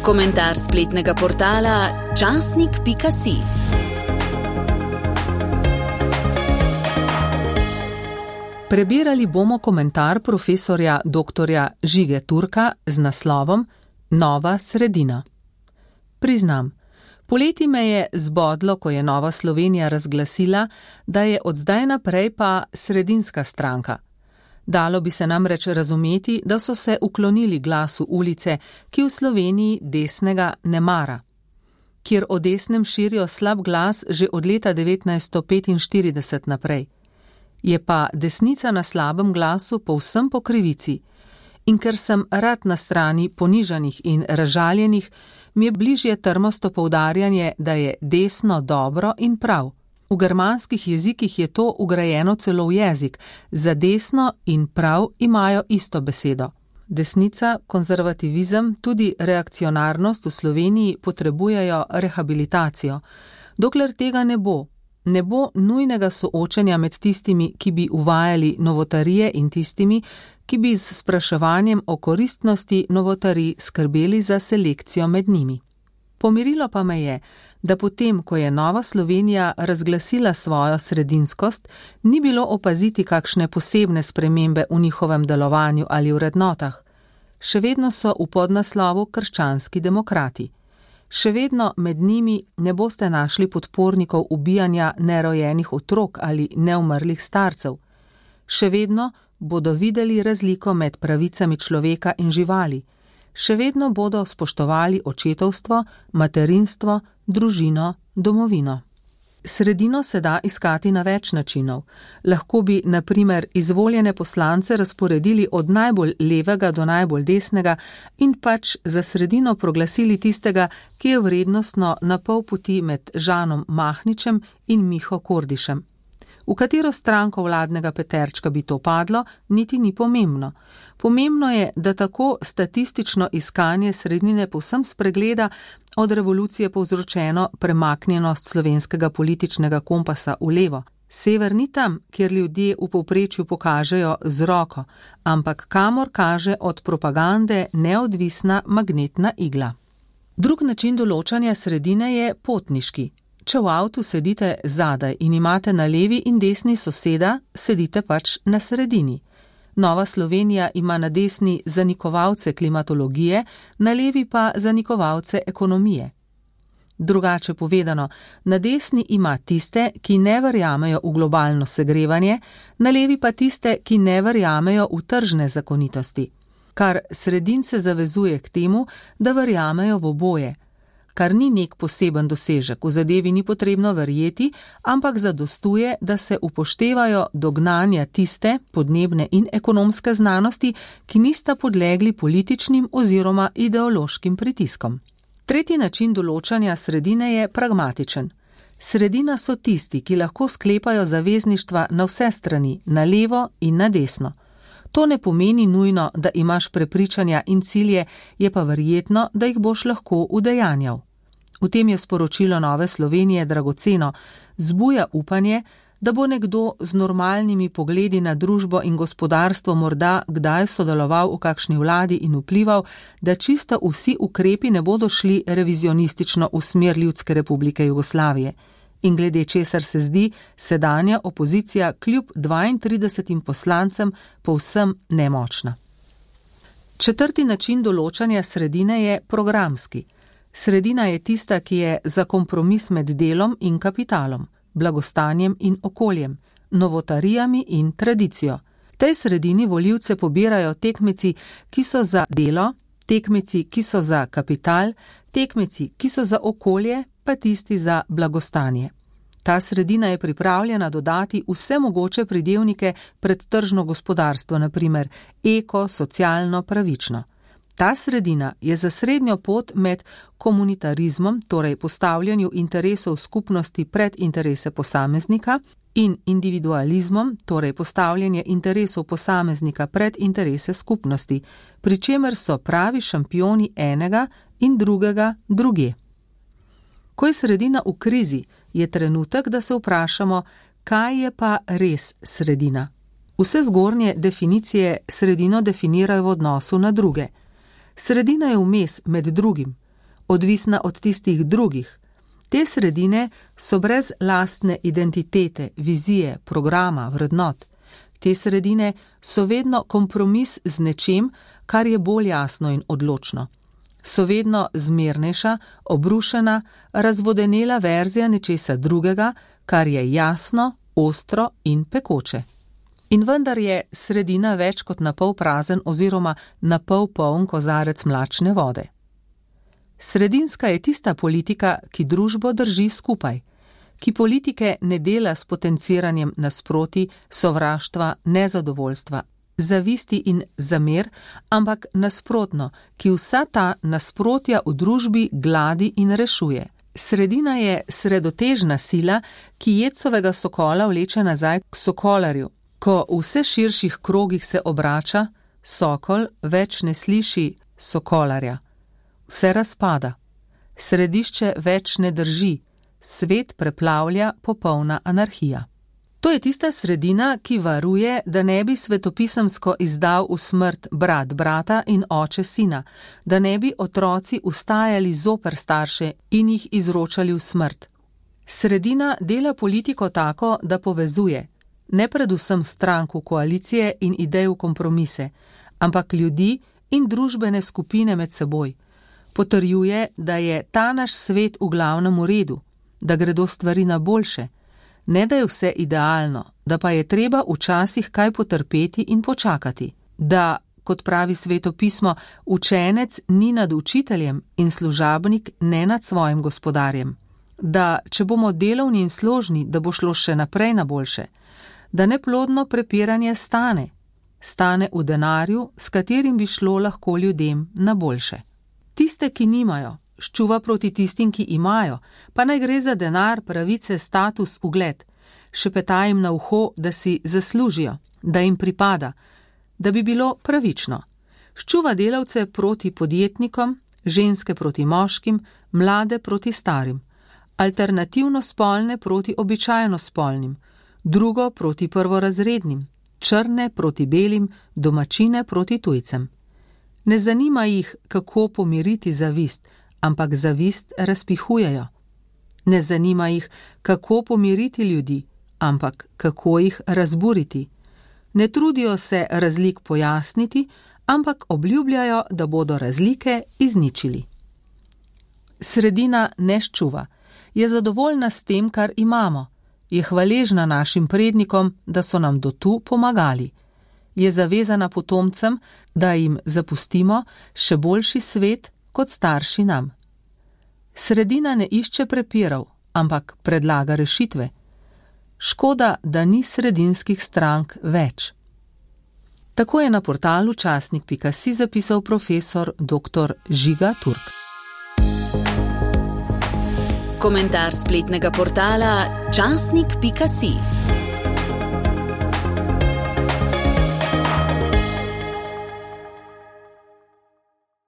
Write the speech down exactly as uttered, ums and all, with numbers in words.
Komentar spletnega portala časnik pika si. Prebirali bomo komentar profesorja doktorja Žige Turka z naslovom Nova sredina. Priznam, poleti me je zbodlo, ko je Nova Slovenija razglasila, da je od zdaj naprej pa sredinska stranka. Dalo bi se namreč razumeti, da so se uklonili glasu ulice, ki v Sloveniji desnega ne mara. Kjer o desnem širijo slab glas že od leta devetnajststo petinštirideset naprej. Je pa desnica na slabem glasu povsem po krivici. In ker sem rad na strani ponižanih in razžaljenih, mi je bližje trmasto poudarjanje, da je desno dobro in prav. V germanskih jezikih je to vgrajeno celo v jezik, za desno in prav imajo isto besedo. Desnica, konzervativizem, tudi reakcionarnost v Sloveniji potrebujejo rehabilitacijo. Dokler tega ne bo, ne bo nujnega soočenja med tistimi, ki bi uvajali novotarije in tistimi, ki bi z spraševanjem o koristnosti novotarij skrbeli za selekcijo med njimi. Pomirilo pa me je, da potem, ko je Nova Slovenija razglasila svojo sredinskost, ni bilo opaziti kakšne posebne spremembe v njihovem delovanju ali vrednotah. Še vedno so v podnaslovu krščanski demokrati. Še vedno med njimi ne boste našli podpornikov ubijanja nerojenih otrok ali neumrlih starcev. Še vedno bodo videli razliko med pravicami človeka in živali. Še vedno bodo spoštovali očetovstvo, materinstvo, družino, domovino. Sredino se da iskati na več načinov. Lahko bi, na primer, izvoljene poslance razporedili od najbolj levega do najbolj desnega in pač za sredino proglasili tistega, ki je vrednostno na pol poti med Žanom Mahničem in Miho Kordišem. V katero stranko vladnega peterčka bi to padlo, niti ni pomembno. Pomembno je, da tako statistično iskanje sredine povsem spregleda od revolucije povzročeno premaknjenost slovenskega političnega kompasa v levo. Sever ni tam, kjer ljudje v povprečju pokažejo z roko, ampak kamor kaže od propagande neodvisna magnetna igla. Drug način določanja sredine je potniški. Če v avtu sedite zadaj in imate na levi in desni soseda, sedite pač na sredini. Nova Slovenija ima na desni zanikovalce klimatologije, na levi pa zanikovalce ekonomije. Drugače povedano, na desni ima tiste, ki ne verjamejo v globalno segrevanje, na levi pa tiste, ki ne verjamejo v tržne zakonitosti. Kar sredince zavezuje k temu, da verjamejo v oboje. Kar ni nek poseben dosežek, v zadevi ni potrebno verjeti, ampak zadostuje, da se upoštevajo dognanja tiste podnebne in ekonomske znanosti, ki nista podlegli političnim oziroma ideološkim pritiskom. Tretji način določanja sredine je pragmatičen. Sredina so tisti, ki lahko sklepajo zavezništva na vse strani, na levo in na desno. To ne pomeni nujno, da imaš prepričanja in cilje, je pa verjetno, da jih boš lahko udejanjal. V tem je sporočilo Nove Slovenije dragoceno, zbuja upanje, da bo nekdo z normalnimi pogledi na družbo in gospodarstvo morda kdaj sodeloval v kakšni vladi in vplival, da čisto vsi ukrepi ne bodo šli revizionistično v smer Ljudske republike Jugoslavije. In glede česar se zdi sedanja opozicija kljub dvaintridesetim poslancem povsem nemočna. Četrti način določanja sredine je programski. Sredina je tista, ki je za kompromis med delom in kapitalom, blagostanjem in okoljem, novotarijami in tradicijo. Tej sredini volivce pobirajo tekmeci, ki so za delo, tekmeci, ki so za kapital, tekmeci, ki so za okolje, pa tisti za blagostanje. Ta sredina je pripravljena dodati vse mogoče pridevnike pred tržno gospodarstvo, na primer eko, socialno, pravično. Ta sredina je za srednjo pot med komunitarizmom, torej postavljanju interesov skupnosti pred interese posameznika, in individualizmom, torej postavljanje interesov posameznika pred interese skupnosti, pri čemer so pravi šampioni enega in drugega druge. Ko je sredina v krizi, je trenutek, da se vprašamo, kaj je pa res sredina. Vse zgornje definicije sredino definirajo v odnosu na druge. Sredina je vmes med drugim. odvisna od tistih drugih. Te sredine so brez lastne identitete, vizije, programa, vrednot. Te sredine so vedno kompromis z nečem, kar je bolj jasno in odločno. So vedno zmernejša, obrušena, razvodenela verzija nečesa drugega, kar je jasno, ostro in pekoče. In vendar je sredina več kot napol prazen oziroma napol poln kozarec mlačne vode. Sredinska je tista politika, ki družbo drži skupaj, ki politike ne dela s potenciranjem nasproti, sovraštva, nezadovoljstva, zavisti in zamer, ampak nasprotno, ki vsa ta nasprotja v družbi gladi in rešuje. Sredina je sredotežna sila, ki jecovega sokola vleče nazaj k sokolarju. Ko v vse širših krogih se obrača, sokol več ne sliši sokolarja. Vse razpada. Središče več ne drži. Svet preplavlja popolna anarhija. To je tista sredina, ki varuje, da ne bi svetopisemsko izdal v smrt brat brata in oče sina, da ne bi otroci ustajali zoper starše in jih izročali v smrt. Sredina dela politiko tako, da povezuje, ne predvsem strank v koalicije in idej v kompromise, ampak ljudi in družbene skupine med seboj. Potrjuje, da je ta naš svet v glavnem v redu, da gredo stvari na boljše, ne da je vse idealno, da pa je treba včasih kaj potrpeti in počakati, da, kot pravi svetopismo, učenec ni nad učiteljem in služabnik ne nad svojim gospodarjem, da, če bomo delovni in složni, da bo šlo še naprej na boljše, da neplodno prepiranje stane, stane v denarju, s katerim bi šlo lahko ljudem na boljše. Tiste, ki nimajo, ščuva proti tistim, ki imajo, pa naj gre za denar, pravice, status, ugled. Šepeta jim na uho, da si zaslužijo, da jim pripada, da bi bilo pravično. Ščuva delavce proti podjetnikom, ženske proti moškim, mlade proti starim, alternativno spolne proti običajno spolnim, drugo proti prvorazrednim, črne proti belim, domačine proti tujcem. Ne zanima jih, kako pomiriti zavist, ampak zavist razpihujejo. Ne zanima jih, kako pomiriti ljudi, ampak kako jih razburiti. Ne trudijo se razlik pojasniti, ampak obljubljajo, da bodo razlike izničili. Sredina ne ščuva, je zadovoljna s tem, kar imamo, je hvaležna našim prednikom, da so nam do tu pomagali. Je zavezana potomcem, da jim zapustimo še boljši svet kot starši nam. Sredina ne išče prepirov, ampak predlaga rešitve. Škoda, da ni sredinskih strank več. Tako je na portalu časnik pika si zapisal profesor doktor Žiga Turk. Komentar spletnega portala časnik pika si.